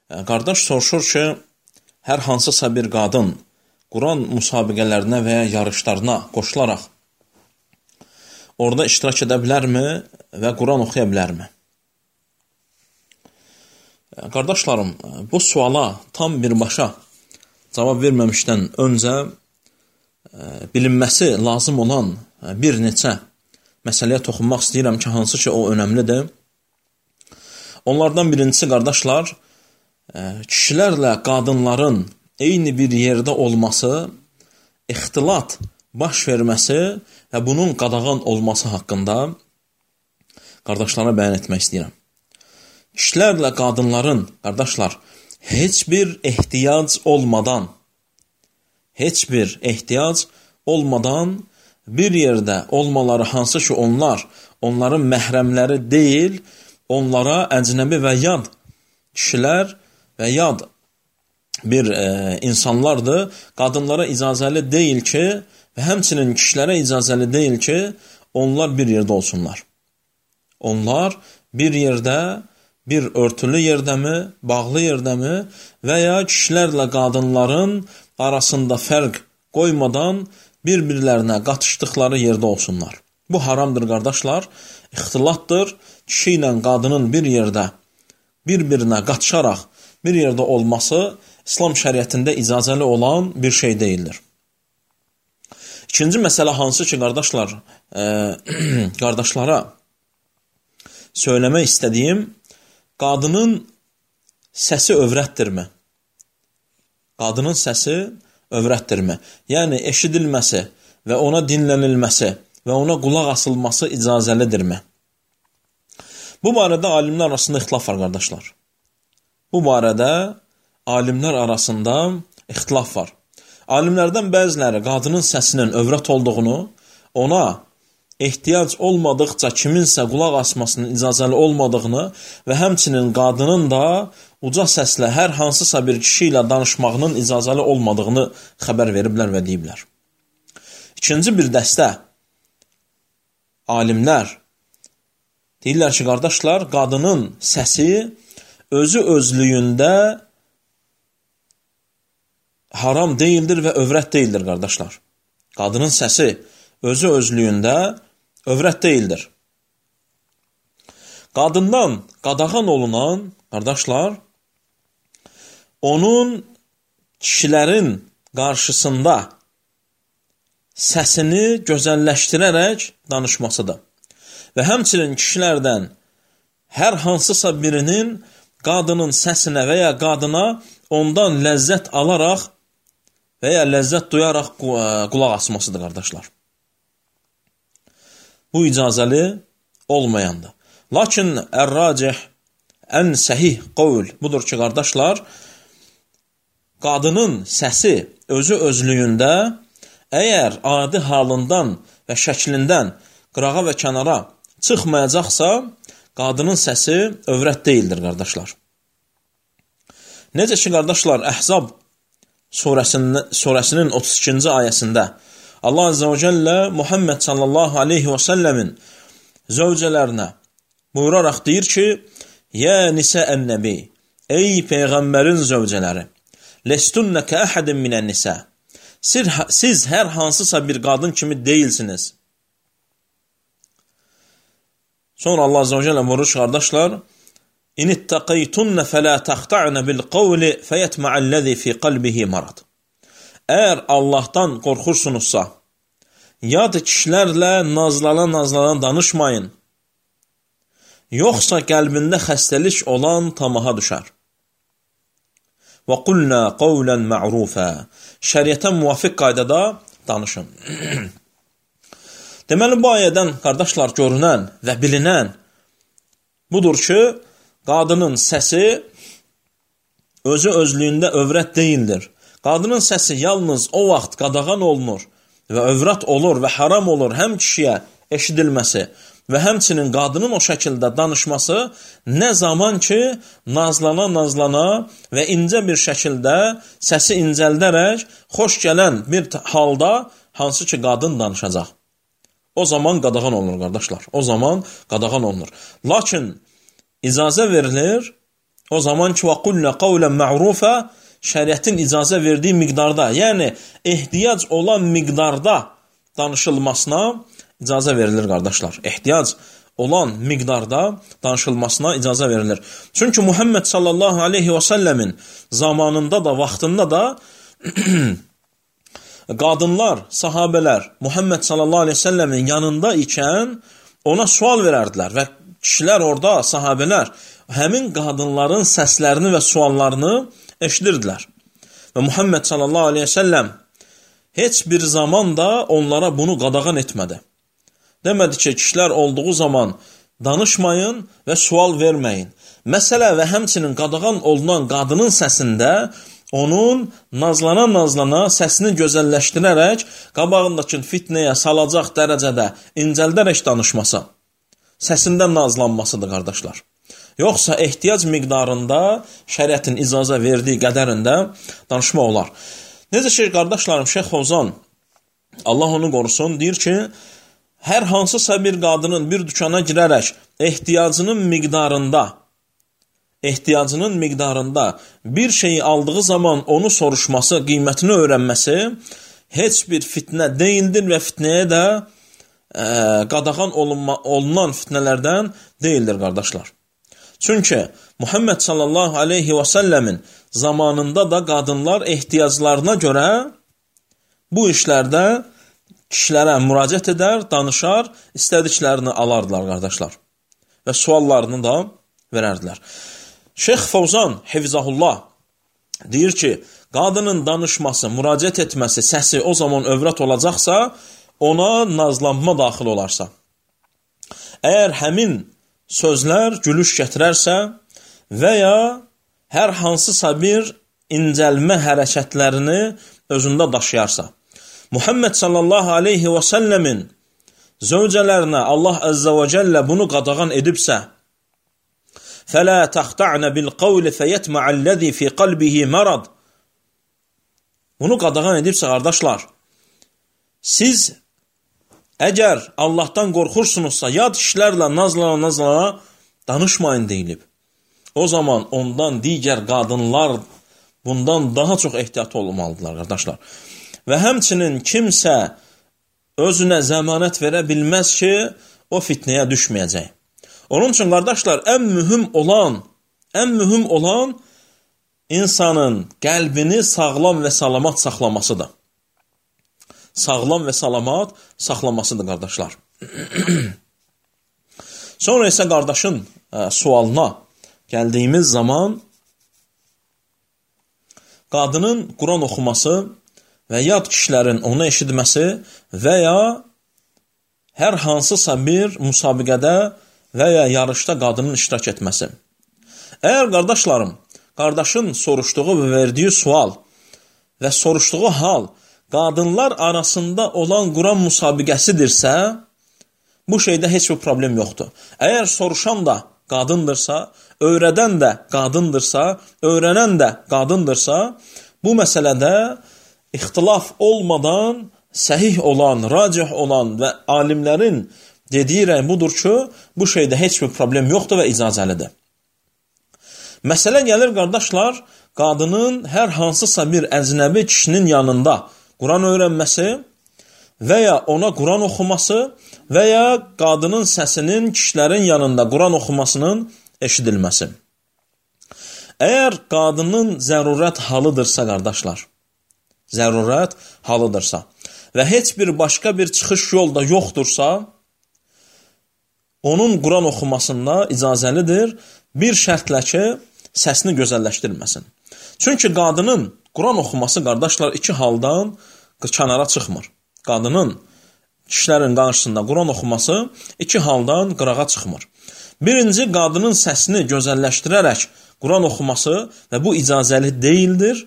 Qardaş soruşur ki, hər hansısa bir qadın Quran müsabiqələrinə və ya yarışlarına qoşularaq orada iştirak edə bilərmi və Quran oxuya bilərmi? Qardaşlarım, bu suala tam birbaşa cavab verməmişdən öncə bilinməsi lazım olan bir neçə məsələyə toxunmaq istəyirəm ki, hansı ki o önəmlidir. Onlardan birincisi, qardaşlar, kişilərlə qadınların eyni bir yerdə olması, ixtilat baş verməsi və bunun qadağan olması haqqında qardaşlara bəyan etmək istəyirəm. Kişilərlə qadınların, qardaşlar, heç bir ehtiyac olmadan bir yerdə olmaları, hansı ki onların məhrəmləri deyil, onlara əcnəbi və yad kişilər və yad bir insanlardır, qadınlara icazəli deyil ki və həmçinin kişilərə icazəli deyil ki, onlar bir yerdə olsunlar. Onlar bir yerdə, bir örtülü yerdəmi, bağlı yerdəmi və ya kişilərlə qadınların arasında fərq qoymadan bir-birlərinə qatışdıqları yerdə olsunlar. Bu haramdır, qardaşlar, ixtilatdır. Kişi ilə qadının bir yerdə, bir-birinə qatışaraq bir yerdə olması İslam şəriətində icazəli olan bir şey deyildir. İkinci məsələ hansı ki, qardaşlar, qardaşlara söyləmək istədiyim, qadının səsi övrətdirmi? Qadının səsi övrətdirmi? Yəni, eşidilməsi və ona dinlənilməsi və ona qulaq asılması icazəlidirmi? Bu barədə alimlər arasında ixtilaf var, qardaşlar. Bu barədə alimlər arasında ixtilaf var. Alimlərdən bəziləri qadının səsinin övrət olduğunu, ona ehtiyac olmadıqca kiminsə qulaq asmasının icazəli olmadığını və həmçinin qadının da uca səslə hər hansısa bir kişi ilə danışmağının icazəli olmadığını xəbər veriblər və deyiblər. İkinci bir dəstə alimlər deyirlər ki, qardaşlar, qadının səsi özü özlüyündə haram deyildir və övrət deyildir, qardaşlar. Qadının səsi özü özlüyündə övrət deyildir. Qadından qadağan olunan, qardaşlar, onun kişilərin qarşısında səsini gözəlləşdirərək danışmasıdır. Və həmçinin kişilərdən hər hansısa birinin qadının səsinə və ya qadına ondan ləzzət alaraq və ya ləzzət duyaraq qulaq asmasıdır, qardaşlar. Bu icazəli olmayandır. Lakin ər-racih, ən səhih qovl budur ki, qardaşlar, qadının səsi özü özlüyündə əgər adi halından və şəklindən qırağa və kənara çıxmayacaqsa, qadının səsi övrət deyildir, qardaşlar. Necə ki, qardaşlar, Əhzab surəsinin 32-ci ayəsində Allah Azze və Cəllə Muhammed sallallahu aleyhi və səlləmin zövcələrinə buyuraraq deyir ki, Yə nisə-ən-nəbi, ey Peyğəmbərin zövcələri, lestunnə kə-əhədin minən-nisə, siz hər hansısa bir qadın kimi deyilsiniz. Sonra Allah Azze və Cəllə buyurur, qardaşlar, İnittəqəytunnə fələ təxta'nə bil-qavli fəyətmə'əlləzi fi qalbihi marad. Əgər Allahdan qorxursunuzsa, yad kişilərlə nazlana danışmayın, yoxsa qəlbində xəstəlik olan tamaha düşər. Və qulnə qavlən mə'rufə. Şəriətə müvafiq qaydada danışın. Deməli, bu ayədən, qardaşlar, görünən və bilinən budur ki, qadının səsi özü özlüyündə övrət deyildir. Qadının səsi yalnız o vaxt qadağan olunur və övrət olur və haram olur həm kişiyə eşidilməsi və həmçinin qadının o şəkildə danışması nə zaman ki, nazlana və incə bir şəkildə səsi incəldərək xoş gələn bir halda hansı ki, qadın danışacaq. O zaman qadağan olunur, qardaşlar. O zaman qadağan olunur. Lakin icazə verilir O zaman ki, وَقُلْنَ قَوْلًا مَعْرُوفًا şəriətin icazə verdiyi miqdarda, yəni ehtiyac olan miqdarda danışılmasına icazə verilir, qardaşlar. Ehtiyac olan miqdarda danışılmasına icazə verilir. Çünki Muhammed sallallahu aleyhi və səlləmin zamanında da, vaxtında da qadınlar, sahabələr Muhammed sallallahu aleyhi və səlləmin yanında ikən ona sual verərdilər və kişilər orada, sahabələr, həmin qadınların səslərini və suallarını eşidirdilər. Və Muhammed sallallahu aleyhi və səlləm heç bir zaman da onlara bunu qadağan etmədi. Demədi ki, kişilər olduğu zaman danışmayın və sual verməyin. Məsələ və həmçinin qadağan olunan qadının səsində onun nazlana-nazlana səsini gözəlləşdirərək qabağındakı fitnəyə salacaq dərəcədə incəldərək danışması, səsində nazlanmasıdır, qardaşlar. Yoxsa ehtiyac miqdarında şəriətin icazə verdiyi qədərində danışma olar. Necə şey, qardaşlarım, Şeyx Fovzan, Allah onu qorusun, deyir ki, hər hansısa bir qadının bir dükana girərək ehtiyacının miqdarında bir şeyi aldığı zaman onu soruşması, qiymətini öyrənməsi heç bir fitnə deyildir və fitnəyə də qadağan olunan fitnələrdən deyildir, qardaşlar. Çünki Muhammed sallallahu aleyhi və səlləmin zamanında da qadınlar ehtiyaclarına görə bu işlərdə kişilərə müraciət edər, danışar, istədiklərini alardılar, qardaşlar. Və suallarını da verərdilər. Şeyx Fovzan, Hifzahullah, deyir ki, qadının danışması, müraciət etməsi, səsi o zaman övrət olacaqsa, ona nazlanma daxil olarsa. Əgər həmin sözlər gülüş gətirərsə və ya hər hansısa bir incəlmə hərəkətlərini özündə daşıyarsa, Muhammed sallallahu aleyhi və səlləmin zövcələrinə Allah əzzə və cəllə bunu qadağan edibsə, فَلَا تَخْتَعْنَ بِالْقَوْلِ فَيَتْمَعَ الَّذِي فِي قَلْبِهِ مَرَضٍ Bunu qadağan edibsə, qardaşlar, siz əgər Allahdan qorxursunuzsa, yad kişilərlə nazlana danışmayın deyilib. O zaman ondan digər qadınlar bundan daha çox ehtiyat olmalıdırlar, qardaşlar. Və həmçinin kimsə özünə zəmanət verə bilməz ki, o fitnəyə düşməyəcək. Onun üçün, qardaşlar, ən mühüm olan insanın qəlbini sağlam və salamat saxlamasıdır. Sağlam və salamat saxlamasıdır, qardaşlar. Sonra isə qardaşın sualına gəldiyimiz zaman qadının Quran oxuması və yad kişilərin onu eşitməsi və ya hər hansısa bir müsabiqədə və ya yarışda qadının iştirak etməsi. Əgər, qardaşlarım, qardaşın soruşduğu və verdiyi sual və soruşduğu hal qadınlar arasında olan Quran müsabiqəsidirsə, bu şeydə heç bir problem yoxdur. Əgər soruşan da qadındırsa, öyrədən də qadındırsa, öyrənən də qadındırsa, bu məsələdə ixtilaf olmadan səhih olan, racih olan və alimlərin dediyi rəy budur ki, bu şeydə heç bir problem yoxdur və icazəlidir. Məsələ gəlir, qardaşlar, qadının hər hansısa bir əcnəbi kişinin yanında Quran öyrənməsi və ya ona Quran oxuması və ya qadının səsinin kişilərin yanında Quran oxumasının eşidilməsi. Əgər qadının zərurət halıdırsa, qardaşlar, zərurət halıdırsa və heç bir başqa bir çıxış yolda yoxdursa, onun Quran oxumasında icazəlidir, bir şərtlə ki, səsini gözəlləşdirməsin. Çünki qadının Quran oxuması, qardaşlar, iki haldan kənara çıxmır. Qadının kişilərin qarşısında Quran oxuması iki haldan qırağa çıxmır. Birinci, qadının səsini gözəlləşdirərək Quran oxuması və bu icazəli deyildir.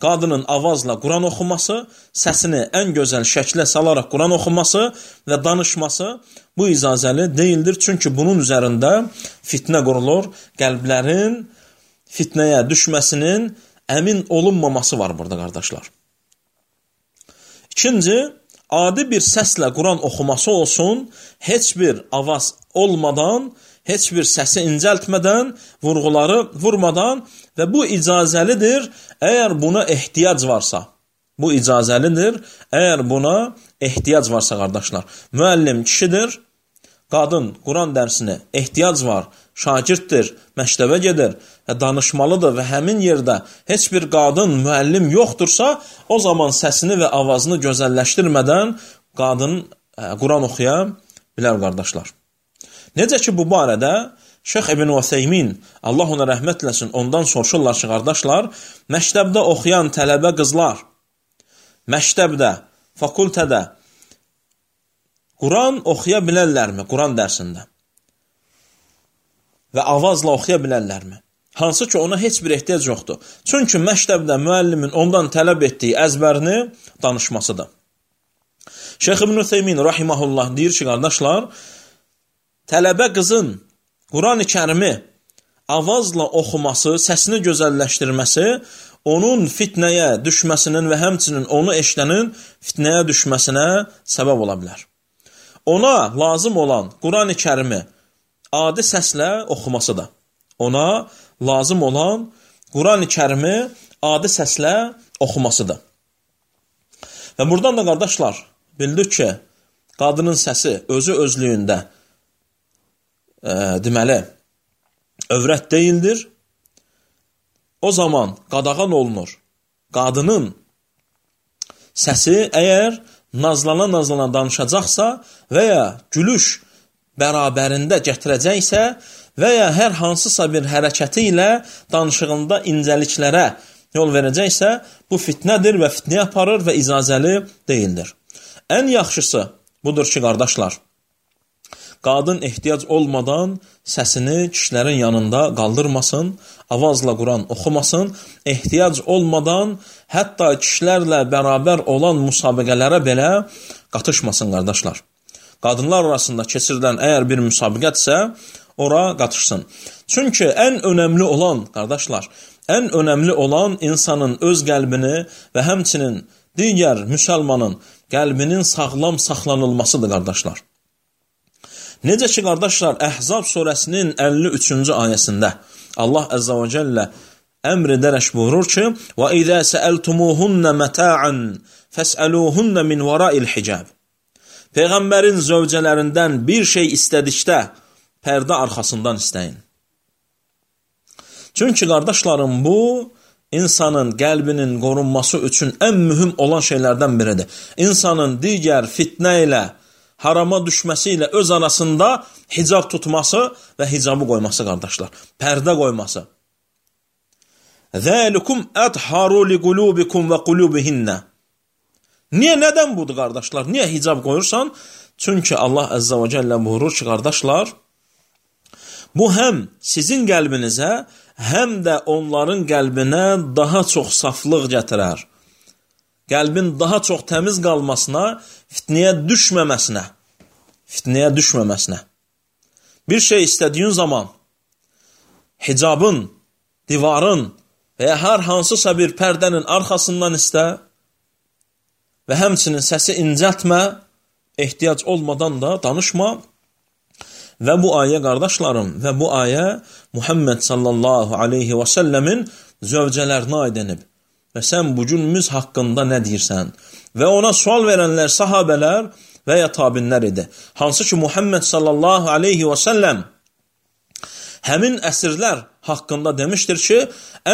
Qadının avazla Quran oxuması, səsini ən gözəl şəklə salaraq Quran oxuması və danışması bu icazəli deyildir. Çünki bunun üzərində fitnə qurulur, qəlblərin fitnəyə düşməsinin əmin olunmaması var burada, qardaşlar. İkinci, adi bir səslə Quran oxuması olsun, heç bir avaz olmadan, heç bir səsi incəltmədən, vurğuları vurmadan və bu icazəlidir, əgər buna ehtiyac varsa. Bu icazəlidir, əgər buna ehtiyac varsa, qardaşlar. Müəllim kişidir, qadın Quran dərsini ehtiyac var, şagirddir, məktəbə gedir və danışmalıdır və həmin yerdə heç bir qadın müəllim yoxdursa, o zaman səsini və avazını gözəlləşdirmədən qadın Quran oxuya bilər, qardaşlar. Necə ki, bu barədə Şeyx İbn Useymin, Allah ona rəhmət eləsin, ondan soruşurlar ki, qardaşlar, məktəbdə oxuyan tələbə qızlar, məktəbdə, fakültədə Quran oxuya bilərlərmi, Quran dərsində? Və avazla oxuya bilərlərmi? Hansı ki, ona heç bir ehtiyac yoxdur. Çünki məktəbdə müəllimin ondan tələb etdiyi əzbərini danışmasıdır. Şeyx İbn Useymin rahimehullah deyir ki, qardaşlar, tələbə qızın Quran-ı Kərimi avazla oxuması, səsini gözəlləşdirməsi onun fitnəyə düşməsinin və həmçinin onu eşidənin fitnəyə düşməsinə səbəb ola bilər. Ona lazım olan Quran-ı Kərimi adi səslə oxumasıdır. Ona lazım olan Quran-ı Kərimi adi səslə oxumasıdır. Və buradan da qardaşlar, bildik ki, qadının səsi özü özlüyündə deməli, övrət deyildir. O zaman qadağan olunur. Qadının səsi əgər nazlana danışacaqsa və ya gülüş bərabərində gətirəcəksə və ya hər hansısa bir hərəkəti ilə danışığında incəliklərə yol verəcəksə, bu fitnədir və fitnəyə aparır və icazəli deyildir. Ən yaxşısı budur ki, qardaşlar, qadın ehtiyac olmadan səsini kişilərin yanında qaldırmasın, avazla Quran oxumasın, ehtiyac olmadan hətta kişilərlə bərabər olan müsabiqələrə belə qatışmasın, qardaşlar. Qadınlar arasında keçirilən əgər bir müsabiqətsə, ora qatışsın. Çünki ən önəmli olan, qardaşlar, ən önəmli olan insanın öz qəlbini və həmçinin digər müsəlmanın qəlbinin sağlam saxlanılmasıdır, qardaşlar. Necə ki, qardaşlar, Əhzab surəsinin 53-cü ayəsində Allah Əzzə və Cəllə əmr edərək buyurur ki, وَإِذَا سَأَلْتُمُوهُنَّ مَتَاعًا فَاسْأَلُوهُنَّ مِنْ وَرَاءِ الْحِجَابِ Peyğəmbərin zövcələrindən bir şey istədikdə pərdə arxasından istəyin. Çünki, qardaşlarım, bu insanın qəlbinin qorunması üçün ən mühüm olan şeylərdən biridir. İnsanın digər fitnə ilə, harama düşməsi ilə öz arasında hicab tutması və hicabı qoyması, qardaşlar. Pərdə qoyması. ذَلِكُمْ أَطْهَرُ لِقُلُوبِكُمْ وَقُلُوبِهِنَّ Niyə, nədən budur, qardaşlar? Niyə hicab qoyursan? Çünki Allah Əzzə və Cəllə buyurur ki, qardaşlar, bu həm sizin qəlbinizə, həm də onların qəlbinə daha çox saflıq gətirər. Qəlbin daha çox təmiz qalmasına, fitnəyə düşməməsinə. Bir şey istədiyin zaman hicabın, divarın və ya hər hansısa bir pərdənin arxasından istə və həmçinin səsi incəltmə, ehtiyac olmadan da danışma. Və bu ayə, qardaşlarım, və bu ayə Muhammed sallallahu aleyhi və səlləmin zövcələrinə aid edib. Və sən bugünümüz haqqında nə deyirsən? Və ona sual verənlər sahabələr və ya tabinlər idi. Hansı ki, Muhammed sallallahu aleyhi və səlləm həmin əsrlər haqqında demişdir ki,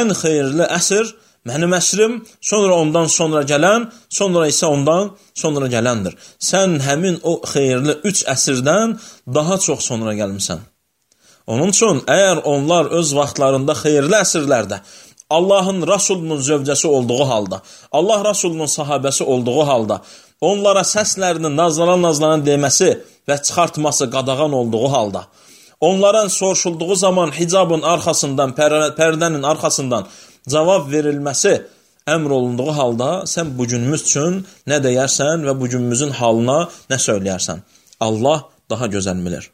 ən xeyirli əsr mənim əsrim, sonra ondan sonra gələn, sonra isə ondan sonra gələndir. Sən həmin o xeyirli 3 əsrdən daha çox sonra gəlmişsən. Onun üçün, əgər onlar öz vaxtlarında xeyirli əsrlərdə Allahın Rasulunun zövcəsi olduğu halda, Allah Rasulunun sahabəsi olduğu halda, onlara səslərini nazlanan deməsi və çıxartması qadağan olduğu halda, onların soruşulduğu zaman hicabın arxasından, pərdənin arxasından cavab verilməsi əmr olunduğu halda, sən bugünümüz üçün nə deyərsən və bugünümüzün halına nə söyləyərsən? Allah daha gözəl bilir.